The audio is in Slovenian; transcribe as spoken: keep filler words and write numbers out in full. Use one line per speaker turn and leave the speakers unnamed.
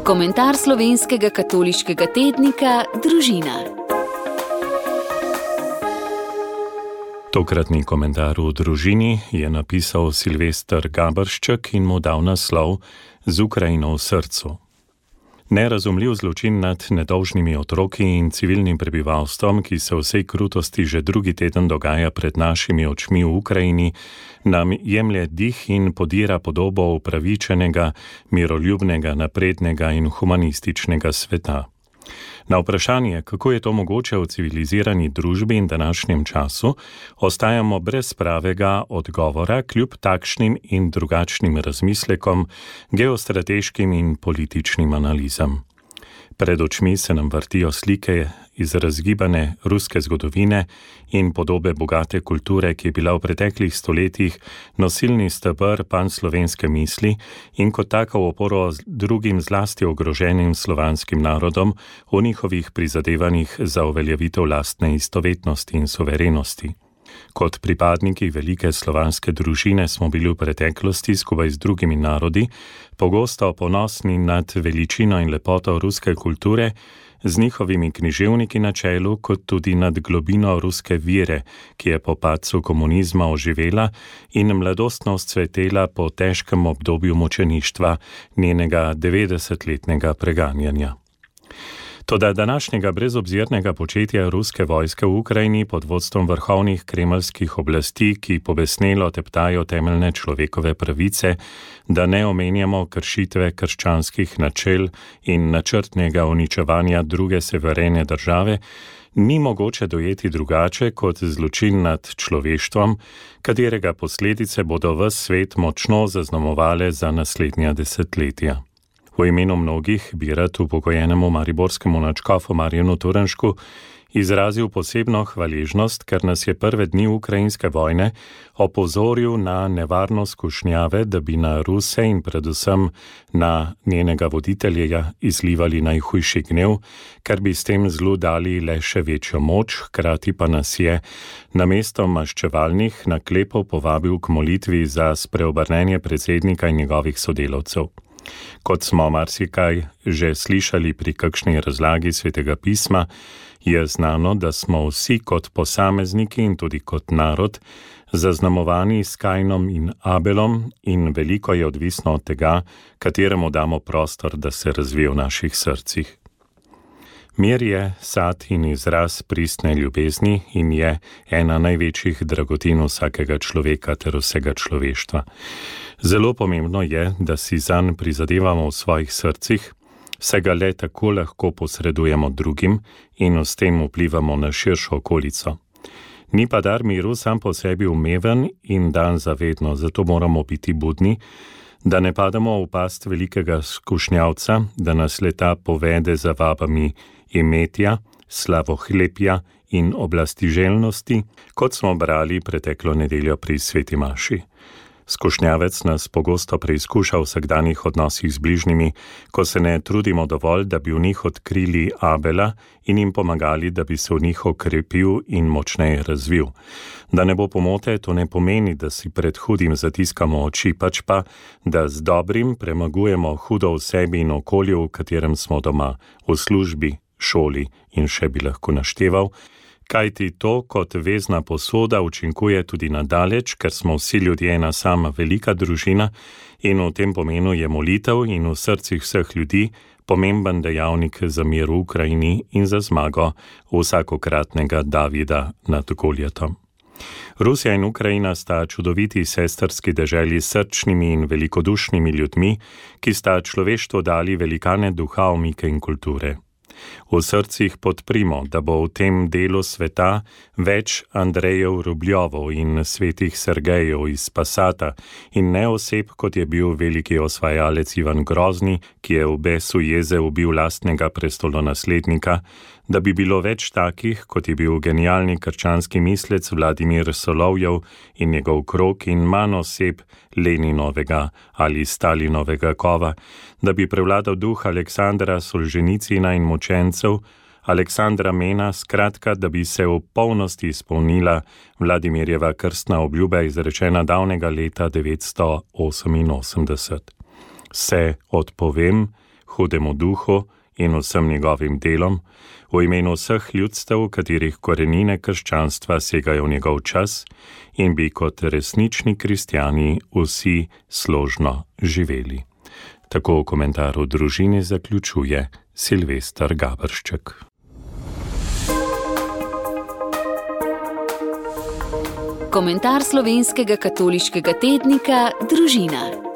Komentar slovenskega katoliškega tednika Družina.
Tokratni komentar v Družini je napisal Silvester Gabršček in mu dal naslov Z Ukrajino v srcu. Nerazumljiv zločin nad nedolžnimi otroki in civilnim prebivalstvom, ki se v vsej krutosti že drugi teden dogaja pred našimi očmi v Ukrajini, nam jemlje dih in podira podobo upravičenega, miroljubnega, naprednega in humanističnega sveta. Na vprašanje, kako je to mogoče v civilizirani družbi in današnjem času, ostajamo brez pravega odgovora kljub takšnim in drugačnim razmislekom, geostrateškim in političnim analizam. Pred očmi se nam vrtijo slike iz razgibane ruske zgodovine in podobe bogate kulture, ki je bila v preteklih stoletjih nosilni steber panslovenske misli in kot taka v oporo drugim zlasti ogroženim slovanskim narodom v njihovih prizadevanjih za uveljavitev lastne istovetnosti in suverenosti. Kot pripadniki velike slovanske družine smo bili v preteklosti skupaj z drugimi narodi pogosto ponosni nad veličino in lepoto ruske kulture, z njihovimi književniki na čelu, kot tudi nad globino ruske vere, ki je po padcu komunizma oživela in mladostno vzcvetela po težkem obdobju mučeništva njenega devetdesetletnega preganjanja. Toda današnjega brezobzirnega početja ruske vojske v Ukrajini pod vodstvom vrhovnih kremeljskih oblasti, ki pobesnelo teptajo temeljne človekove pravice, da ne omenjamo kršitve krščanskih načel in načrtnega uničevanja druge severene države, ni mogoče dojeti drugače kot zločin nad človeštvom, katerega posledice bodo ves svet močno zaznamovale za naslednja desetletja. V imenu mnogih bi rad upokojenemu mariborskemu nadškofu Marjanu Turnšku izrazil posebno hvaležnost, ker nas je prve dni ukrajinske vojne opozoril na nevarnost skušnjave, da bi na Ruse in predvsem na njenega voditelja izlivali najhujši gnev, ker bi s tem zlu dali le še večjo moč, hkrati pa nas je namesto maščevalnih naklepov povabil k molitvi za spreobrnenje predsednika in njegovih sodelavcev. Kot smo marsikaj že slišali pri kakšni razlagi Svetega pisma, je znano, da smo vsi kot posamezniki in tudi kot narod zaznamovani s Kainom in Abelom in veliko je odvisno od tega, kateremu damo prostor, da se razvije v naših srcih. Mir je sad in izraz pristne ljubezni in je ena največjih dragotin vsakega človeka ter vsega človeštva. Zelo pomembno je, da si zanj prizadevamo v svojih srcih, saj ga le tako lahko posredujemo drugim in s tem vplivamo na širšo okolico. Ni pa dar miru sam po sebi umeven in dan zavedno, zato moramo biti budni, da ne pademo v past velikega skušnjavca, da nas leta povede za vabami imetja, slavohlepja in oblastiželjnosti, kot smo brali preteklo nedeljo pri Sveti maši. Skušnjavec nas pogosto preizkuša v vsakdanjih odnosih z bližnjimi, ko se ne trudimo dovolj, da bi v njih odkrili Abela in jim pomagali, da bi se v njih okrepil in močneje razvil. Da ne bo pomote, to ne pomeni, da si pred hudim zatiskamo oči, pač pa, da z dobrim premagujemo hudo v sebi in okolju, v katerem smo doma, v službi, šoli in še bi lahko našteval, kajti to kot vezna posoda učinkuje tudi nadaleč, ker smo vsi ljudje ena sama velika družina in v tem pomenu je molitev in v srcih vseh ljudi pomemben dejavnik za mir v Ukrajini in za zmago vsakokratnega Davida nad Goljatom. Rusija in Ukrajina sta čudoviti sestrski deželi s srčnimi in velikodušnimi ljudmi, ki sta človeštvu dali velikane duha, omike in kulture. V srcih podprimo, da bo v tem delu sveta več Andrejev Rubljovov in svetih Sergejev iz Passata in ne oseb, kot je bil veliki osvajalec Ivan Grozni, ki je v besu jeze ubil lastnega prestolonaslednika, da bi bilo več takih, kot je bil genialni krščanski mislec Vladimir Solovjev in njegov krog in manj oseb Leninovega ali Stalinovega kova, da bi prevladal duh Aleksandra Solženicina in mučencev, Aleksandra Mena, skratka, da bi se v polnosti izpolnila Vladimirjeva krstna obljuba izrečena davnega leta devetsto oseminosemdeset. Se odpovem, hudemu duhu in vsem njegovim delom, v imenu vseh ljudstev, katerih korenine krščanstva segajo v njegov čas in bi kot resnični kristjani vsi složno živeli. Tako v komentaru družini zaključuje Silvester Gaberšček.
Komentar slovenskega katoliškega tednika Družina.